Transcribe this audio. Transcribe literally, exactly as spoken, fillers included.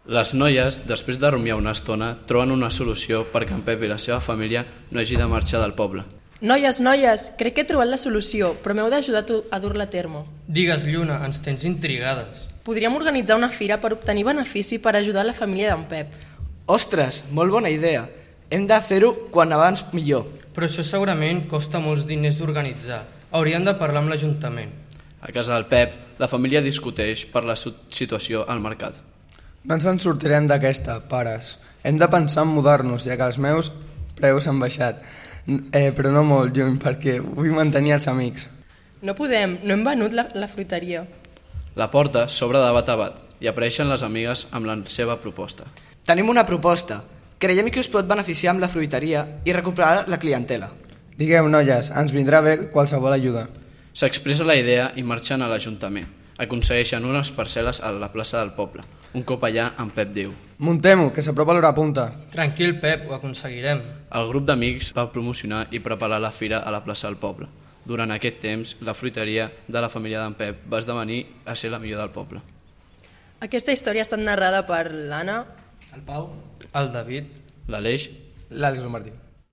Les noies, després de rumiar una estona, troben una solució perquè en Pep i la seva família no hagi de marxar del poble. Noies, noies, crec que he trobat la solució, però m'heu d'ajudar a dur-la a terme. Digues, Lluna, ens tens intrigades. Podríem organitzar una fira per obtenir benefici per ajudar la família d'en Pep. Ostres, molt bona idea. Hem de fer-ho quan abans millor. Però això segurament costa molts diners d'organitzar. Hauríem de parlar amb l'Ajuntament. A casa del Pep, la família discuteix per la situació al mercat. No ens en sortirem d'aquesta, pares. Hem de pensar en mudar-nos, ja que els meus preus han baixat. Eh, però no molt lluny, perquè vull mantenir els amics. No podem, no hem venut la, la fruiteria. La porta s'obre de bat a bat i apareixen les amigues amb la seva proposta. Tenim una proposta. Creiem que us pot beneficiar amb la fruiteria i recuperar la clientela. Digueu, noies, ens vindrà bé qualsevol ajuda. S'expressa la idea i marxen a l'Ajuntament. Aconsegueixen unes parcel·les a la plaça del poble. Un cop allà, en Pep diu: Muntem-ho, que s'apropa l'hora punta. Tranquil, Pep, ho aconseguirem. El grup d'amics va promocionar i preparar la fira a la plaça del poble. Durant aquest temps, la fruiteria de la família d'en Pep va esdevenir a ser la millor del poble. Aquesta història ha estat narrada per l'Anna, El Pau, El David, L'Aleix, L'Àlex Martí.